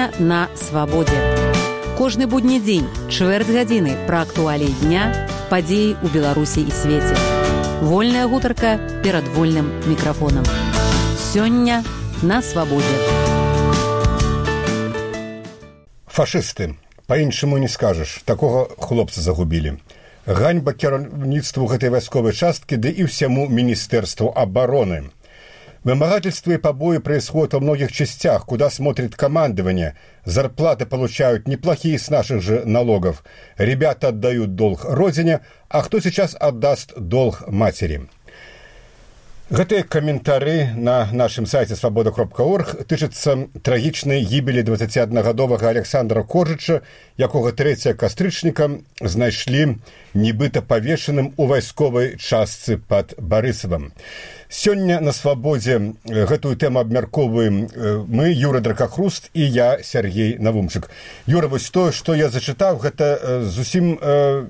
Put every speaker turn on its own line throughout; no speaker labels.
Сёння на свабодзе. Кожны будні дзень, чвэрць гадзіны пра актуаліі дня, падзеі ў Беларусі і свеце. Вольная гутарка перад вольным мікрафонам. Сёння на свабодзе.
Фашысты. Па-іншаму не скажаш. Такога хлопца загубілі. Ганьба кіраўніцтву гэтай вайсковай часткі, ды і ўсяму Министерству обороны. Вымогательства и побои происходят во многих частях, куда смотрит командование. Зарплаты получают неплохие с наших же налогов. Ребята отдают долг родине, а кто сейчас отдаст долг матери? Гэтыя каментары на нашым сайце свабода.орг тычацца трагічнай гібелі 21-гадовага Александра Коржыча, якога 3 кастрычніка знайшлі нібыта павешаным у вайсковай частцы пад Барысавам. Сёння на свабодзе гэтую тэму абмяркоўваем мы, Юра Дракахруст і я, Сергей Навумчык. Юра, вось тое, што я зачытаў, гэта зусім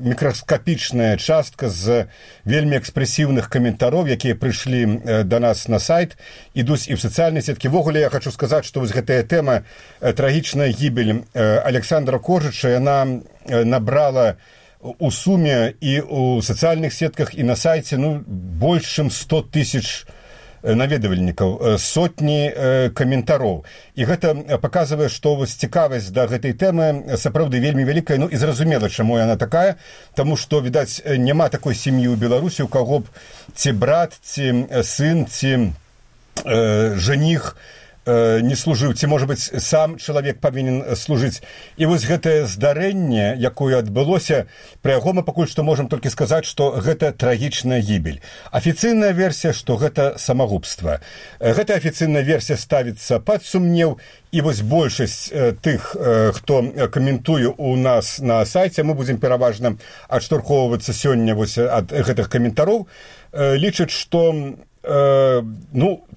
мікраскапічная частка з вельмі экспрэсіўных каментароў, якія прыйшлі да нас на сайт, ідуць і ў сацыяльнай сеткі. Ввогуле, я хочу сказаць, што вось гэтая тэма, трагічная гібель Александра Коржыча, яна набрала у суме і ў сацыяльных сетках, і на сайце больш чым 100 тысяч наведвальнікаў, сотні каментароў. І гэта паказвае, што вось цікавасць да гэтай тэмы сапраўды вельмі вялікая, і зразумела, чаму яна такая, таму што, відаць, няма такой сям'і ў Беларусі, у каго б ці брат, ці сын, ці жаніх не служыў, ці, можа быць, сам чалавек павінен служыць. І вось гэтае здарэнне, якое адбылося, пра яго мы пакуль што можам толькі сказаць, што гэта трагічная гібель. Афіцыйная версія, што гэта самагубства. Гэтая афіцыйная версія ставіцца пад сумнеў, і вось большасць тых, хто каментуе у нас на сайце, мы будзем пераважна адштурхоўвацца сёння вось ад гэтых каментароў, лічаць, што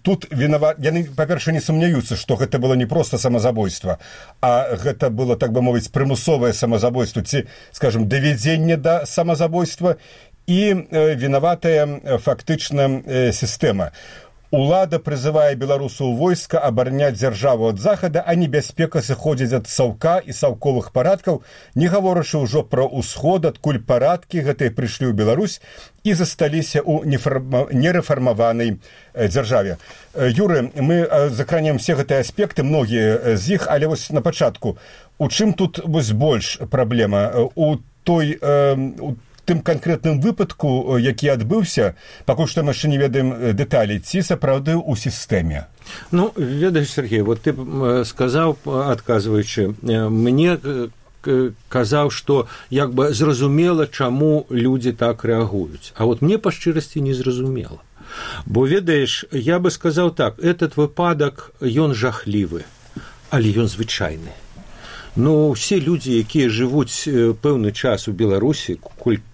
тут вінават... Яны, па-перша, не сумняюцца, што гэта было не проста самазабойства, а гэта было, так бы мовіць, прымусовае самазабойства, ці, скажем, давядзенне да самазабойства, і вінаватая фактычна сістэма. Улада прызывае беларусаў войска абараняць дзяржаву ад захада, а небяспека сыходзіць ад саўка і саўковых парадкаў, не гаворачы ўжо пра ўсход, адкуль парадкі гэтыя прыйшлі ў Беларусь і засталіся ў нерэфармаванай дзяржаве. Юры, мы закранем все гэтыя аспекты, многія з іх, але вось на пачатку, у чым тут вось больш праблема? У тым канкрэтным выпадку, які адбыўся, пакуль што мы яшчэ не ведаем дэталей, ці сапраўды ў сістэме?
Ведаеш, Сергей, вот ты сказаў, адказваючы, мне казаў, што як бы зразумела, чаму людзі так рэагуюць. А вот мне па шчырасці не зразумела. Бо, ведаеш, я бы сказаў так, этот выпадак, ён жахлівы, але ён звычайны. Усе людзі, якія жывуць пэўны час у Беларусі,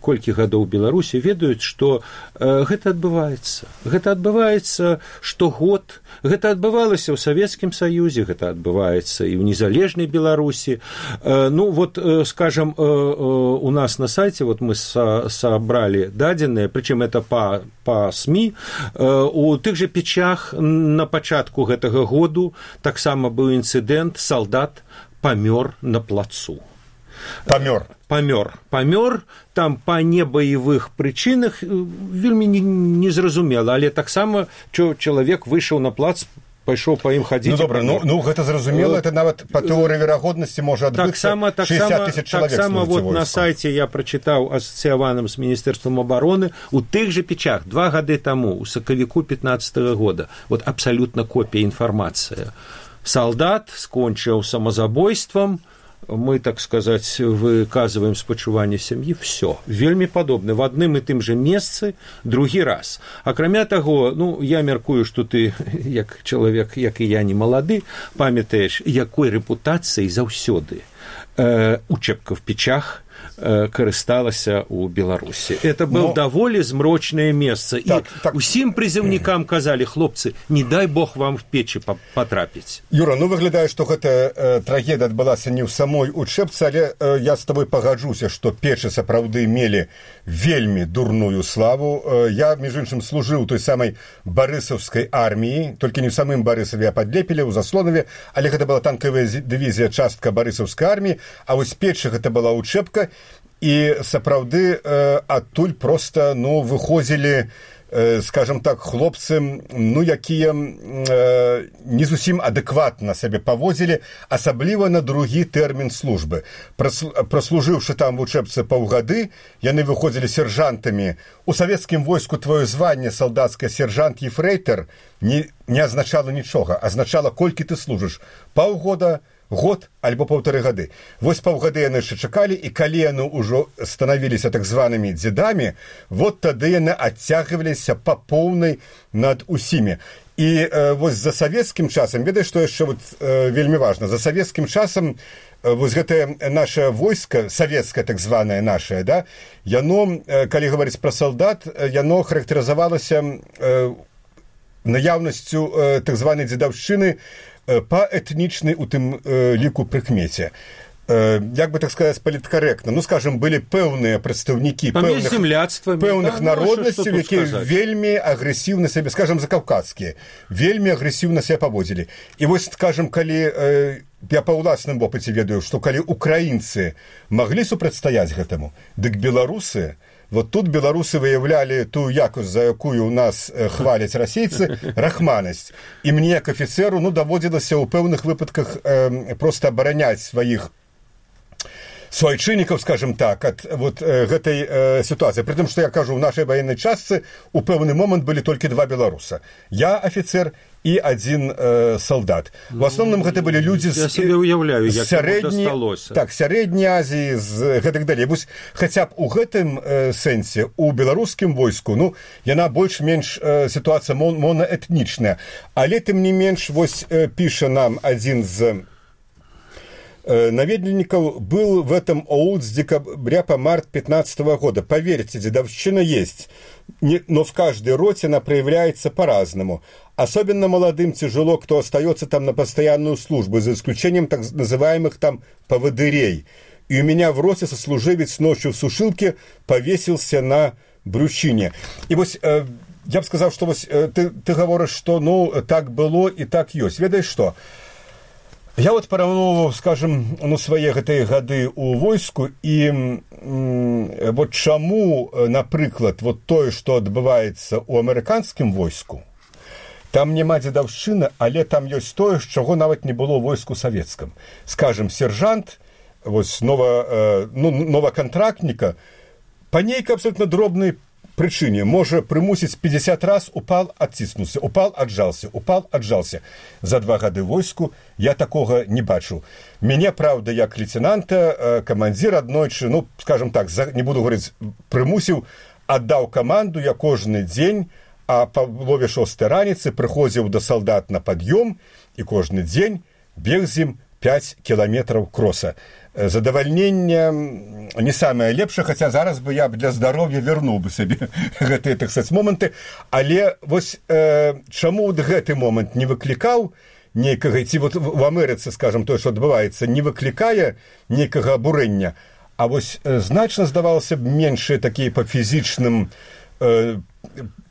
колькі гадоў у Беларусі, ведаюць, што гэта адбываецца. Гэта адбываецца штогод, гэта адбывалася ў Савецкім Саюзе, гэта адбываецца і ў незалежнай Беларусі. Скажам, у нас на сайце мы сабралі дадзеныя, прычым это па СМІ, у тых жа Печах на пачатку гэтага году таксама быў інцыдэнт, салдат памёр на плацу. Памёр, там па небаевых прычынах вельмі незразумела, але таксама чалавек выйшаў на плац, пайшоў па ім хадзіць.
Гэта зразумела, это нават па тэорыі верагоднасці можа адбыцца 60 тысяч чалавек.
Таксама на сайце я прачытаў асацыяваным з Міністэрствам обороны у тых жа Печах 2 гады таму, у сакавіку 15-го года. Абсалютна копія інфармацыя. Салдат скончыў самазабойствам, мы, так сказаць, выказваем спачуванне сям'і, все. Вельмі падобны, в адным і тым жа месцы, другі раз. Акрамя таго, я мяркую, што ты, як чалавек, як і я, не малады, памятаеш, якой рэпутацыяй заўсёды учэбка в Печах, карысталася ў Беларусі. Это был даволі змрочнае месца. Так, і усім прызыўнікам казалі: хлопцы, не дай Бог вам в печы потрапіць.
Юра, выглядае, што гэта трагедыя адбылася не ў самой учэбцы, але я з табой пагаджуся, што печы сапраўды мелі вельмі дурную славу. Я, між іншым, служыў той самай барысаўскай арміі, толькі не ў самым Барысаве, а пад Лепеле, у Заслонаве, але гэта была танкавая дывізія, частка барысаўскай арміі, а вось печы гэта была учэбка, і сапраўды адтуль проста выходзілі, скажем так, хлопцы, якія не зусім адэкватна сабе паводзілі, асабліва на другі тэрмін службы. Праслужыўшы там в учэбцы паўгады, яны выходзілі сержантамі. У савецкім войску твоё званне салдацкае сержант-ефрэйтар не азначала нічога, азначала, колькі ты служыш. Паўгода, год альбо 1,5 гады. Вось паўгады яны яшчэ чакалі, і калі яны ўжо станавіліся так званымі дзедамі, вот тады яны адцягваліся па поўнай над усімі. І вось за савецкім часам, ведаеш, што яшчэ вельмі важна, за савецкім часам вось гэтае наше войска, савецкае так званае нашае, да, яно, калі гаварыць пра салдат, яно характарызавалася наяўнасцю так званай дзедаўшчыны па этнічнай у тым ліку прыкмеце. Як бы так сказаць, паліткарэктна. Скажем, былі пэўныя прадстаўнікі пэўных народнасцяў, якія вельмі агрэсіўна сябе, скажем, закаўказскія, вельмі агрэсіўна сябе паводзілі. І вось, скажем, калі я па ўласным вопыце ведаю, што калі украінцы маглі супрацьстаяць гэтаму, дык беларусы, вот тут беларусы выявлялі тую якасць, за якую у нас хваляць расейцы, рахманасць. І мне, як афіцеру, даводзілася ў пэўных выпадках проста абараняць сваіх суайчыннікаў, скажем так, ад гэтай сітуацыі. Пры тым, што я кажу, у нашай ваеннай частцы ў пэўны момант былі толькі 2 беларуса. Я афіцер і 1 салдат. В асноўным гэта былі людзі з сярэдняй Азіі, з гэтак далей. Вось хаця б у гэтым сэнсе у беларускім войску, яна больш-менш сітуацыя монаэтнічная. Але тым не менш, вось піша нам адзін з наведнікаў: был в этом ОУД с декабря по март 2015 года. Поверьте, дедовщина есть, но в каждой роте она проявляется по-разному. Особенно молодым тяжело, кто остается там на постоянную службу, за исключением так называемых там поводырей. И у меня в роте сослуживец ночью в сушилке повесился на брючине. И вот я бы сказал, что вот ты говоришь, что так было и так есть. Ведаешь что? Я вот параўноўваў, скажем, свае гэтыя гады ў войску, і вот чаму, напрыклад, вот тое, што адбываецца ў амерыканскім войску, там няма дзедаўшчыны, але там ёсць тое, чаго нават не было ў войску савецкам. Скажем, сержант, вось новакантрактніка, па нейкай абсолютно дробнай прычыне можа прымусіць 50 раз упал, адціснуўся, упал, аджался, упал, аджался. За 2 гады войску я такога не бачу. Мяне, правда, як лейтенанта, камандзір аднойчы, скажем так, не буду говорыць, прымусіў, аддаў каманду, я кожны дзень, а па палове 6 раніцы прыходзіў да салдат на пад'ём і кожны дзень бег з ім 5 кіламетраў кроса. Задавальненне не самае лепшае, хаця зараз бы я для здароўя вярнуў бы сабе гэтыя, так сказаць, моманты. Але вось чаму гэты момант не выклікаў нейкага, ці вот в Амерыцы, скажем, тое, што адбываецца, не выклікае нейкага абурэння, а вось значна здавалася б меншыя такія па фізічным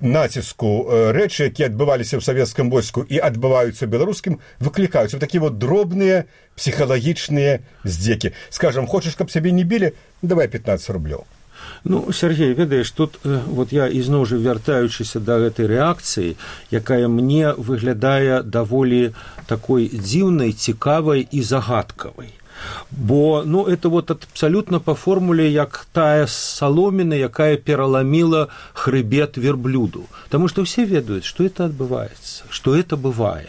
націску рэчы, якія адбываліся ў савецкім войску і адбываюцца ў беларускім, выклікаюцца такія вот дробныя псіхалагічныя здзекі. Скажам, хочаш, каб сябе не білі? Давай 15 рублёў.
Сергей, ведаеш, тут вот я ізноў жа вяртаючыся да гэтай рэакцыі, якая мне выглядае даволі такой дзіўнай, цікавай і загадкавай. Бо, это вот абсолютно по формуле, як тая соломина, якая пераломила хребет верблюду. Потому что все ведают, что это отбывается, что это бывает.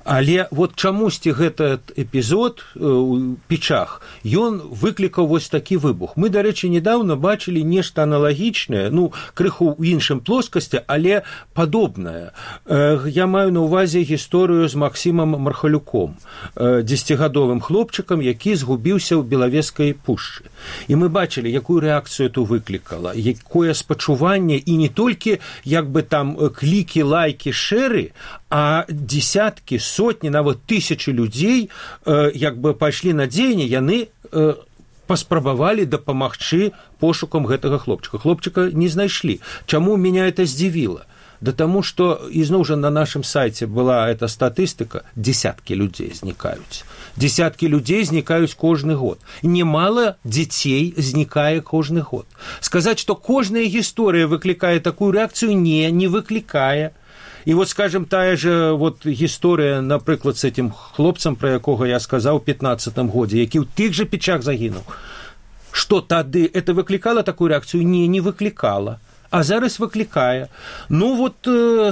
Але вот чамусьці гэты эпізод у Печах, ён выклікаў вось такі выбух. Мы, дарэчы, недавно бачылі нешта аналагічнае, ну, крыху ў іншым плоскасці, але падобнае. Я маю на ўвазе гісторыю з Максімам Мархалюком, 10гадовым хлопчыкам, які згубіўся ў Белавежскай пушчы. І мы бачылі, якую рэакцыю это выклікала, якое спачуванне, і не толькі, як бы там, клікі, лайкі, шэры, а десяткі, сотні, нават тысячы людзей, як бы пайшлі на дзеянне, яны паспрабавалі дапамагчы пошукам гэтага хлопчыка. Хлопчыка не знайшлі. Чаму меня это здзівіла? Да тому, что, изноў жа на нашем сайте была эта статистика, десятки людей зникаюць. Десятки людей зникаюць кожны год. Немало детей зникае кожны год. Сказать, что каждая история выкликает такую реакцию, не выкликае. И вот, скажем, тая же вот история, например, с этим хлопцем, про якога я сказал в 15-м году, які в тых же Печах загинул. Что тады это выкликало такую реакцию? Не выкликало. А зараз выклікае. Ну, вот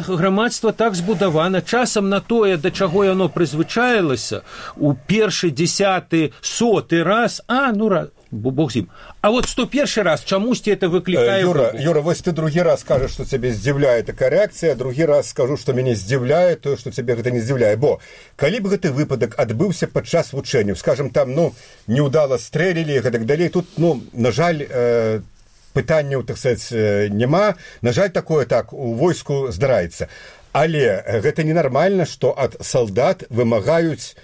грамадства так збудавана. Часам на тое, да чаго яно прызвычаілася, у першы, 10-й, 100-й раз, бог з ім. А вот 101-й раз чамусьці это выклікае...
Юра, вось ты другі раз скажаш, што цябе здзіўляе такая рэакцыя, другі раз скажу, што мяне здзіўляе тое, што цябе гэта не здзіўляе. Бо, калі б гэты выпадак адбыўся падчас вучэнняў, скажам, там, неўдала стрэлілі, гэтак далей, тут, на жаль, пытанняў, так сказать, няма. На жаль, такое так у войску здараецца. Але гэта ненармальна, што ад салдат вымагаюць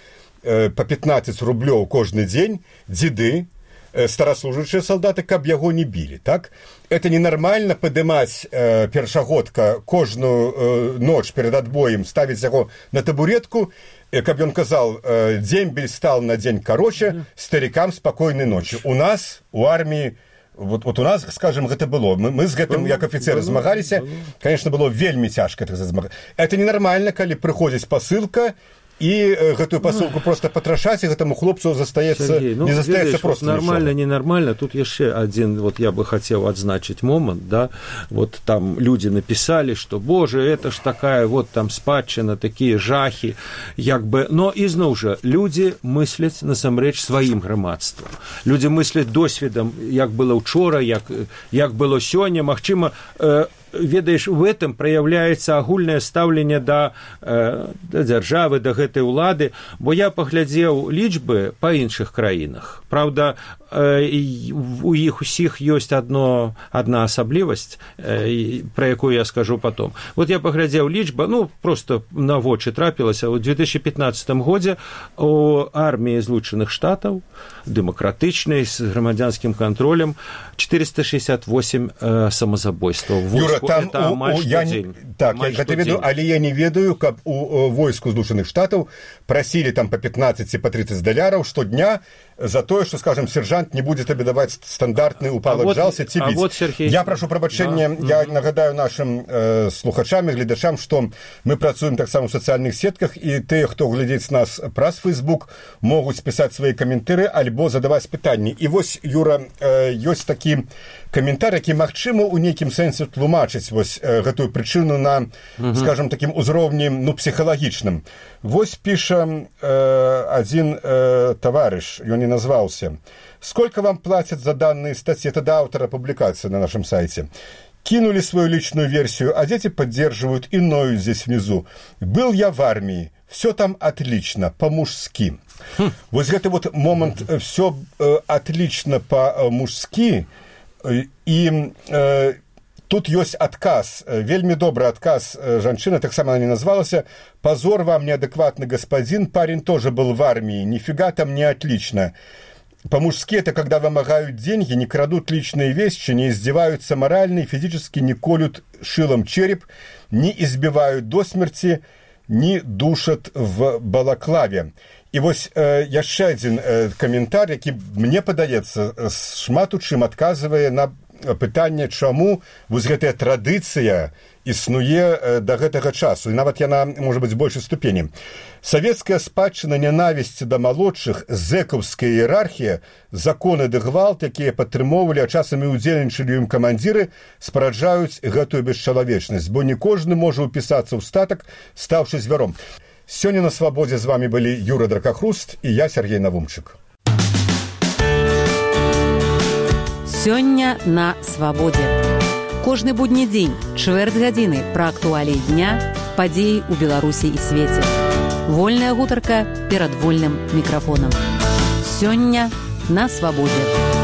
па 15 рублёў кожны дзень дзеды, стараслужачыя салдаты, каб яго не білі, так? Это ненармальна падымаць першагодка кожную ноч перад адбоем, ставіць яго на табуретку, каб ён казаў, дзембель стал на дзень кароче, старикам спакойнай ночы. У нас, у арміі, вот у нас, скажем, гэта было. Мы з гэтым, як афіцеры, змагаліся. Конечно, было вельмі цяжка змагаць. Это ненармальна, калі прыходзіць пасылка, і гэтую пасылку просто патрашаць, і гэтаму хлопцу застаецца, не застаецца просто
нормально, ненормально. Тут яшчэ адзін, вот я бы хацеў адзначыць момант, да, вот там люди написали, что, боже, это ж такая вот там спадчына, такія жахі, як бы, но ізноў жа, люди мысляць насамрэч сваім грамадствам. Люди мысляць досведам, як было учора, як было сёння, магчыма, ведаеш, в этом проявляется агульнае стаўленне да дзяржавы, да гэтай улады, бо я паглядзеў лічбы па іншых краінах. Правда, у іх усіх ёсць одна асаблівасць, про якую я скажу потом. Вот я паглядзеў лічба, просто на вочы трапілася, у 2015 годзе у арміі Злучаных Штатаў, дэмакратычнай, з грамадзянскім кантролем, 468 самазабойстваў.
Юра, там я гэта ведаю, але я не ведаю, каб у войску Злучаных Штатаў прасілі там по 15 ці по 30 даляраў штодня за тое, што, скажем, сержант не будзе табе даваць стандартны упалак жался ці біць.
Вот, Сергей...
Я прашу прабачэння, я нагадаю нашим слухачам і гледачам, што мы працуем таксама ў сацыяльных сетках, і тыя, хто глядзіць нас праз Facebook, могуць пісаць свае каментары альбо задаваць пытанні. І вось, Юра, ёсць такі каментар, які, магчыма, у нейкім сэнсе тлумачыць вось гэтую прычыну на, скажем, такім узроўні, псіхалагічным. Вось піша адзін таварыш, ён не назвался. Сколько вам платят за данные статьи? Это до автора публикации на нашем сайте. Кинули свою личную версию, а дети поддерживают и ноют здесь внизу. Был я в армии, все там отлично, по-мужски. Вот гэты вот момент все отлично по-мужски, и тут ёсць адказ, вельмі добрый адказ жанчына, таксама она не назвалася. Позор вам, неадекватный господин, парень тоже был в армии, нифига там не отлично. По-мужски это когда вымогают деньги, не крадут личные вещи, не издеваются морально и физически, не колют шилом череп, не избивают до смерти, не душат в балаклаве. І вось яшчэ адзін каментар, які, мне падаецца, шмат у чым адказвае на пытанне, чаму вось гэтая традыцыя існуе да гэтага часу, і нават яна можа быць большай ступені. Савецкая спадчына нянавісці да малодшых, зэкаўская іерархія, законы ды гвалт, якія падтрымоўвалі, а часам і ўдзельнічалі ім камандзіры, спараджаюць гэтую бесчалавечнасць, бо не кожны можа ўпісацца ў статак, стаўшы звяром. Сёння на свабодзе з вами былі Юра Дракахруст і я, Сергей Навумчык.
Сёння на свабодзе. Кожны будні дзень, чвэрць гадзіны пра актуаліі дня, падзеі ў Беларусі і свеце. Вольная гутарка перад вольным мікрафонам. Сёння на свабодзе.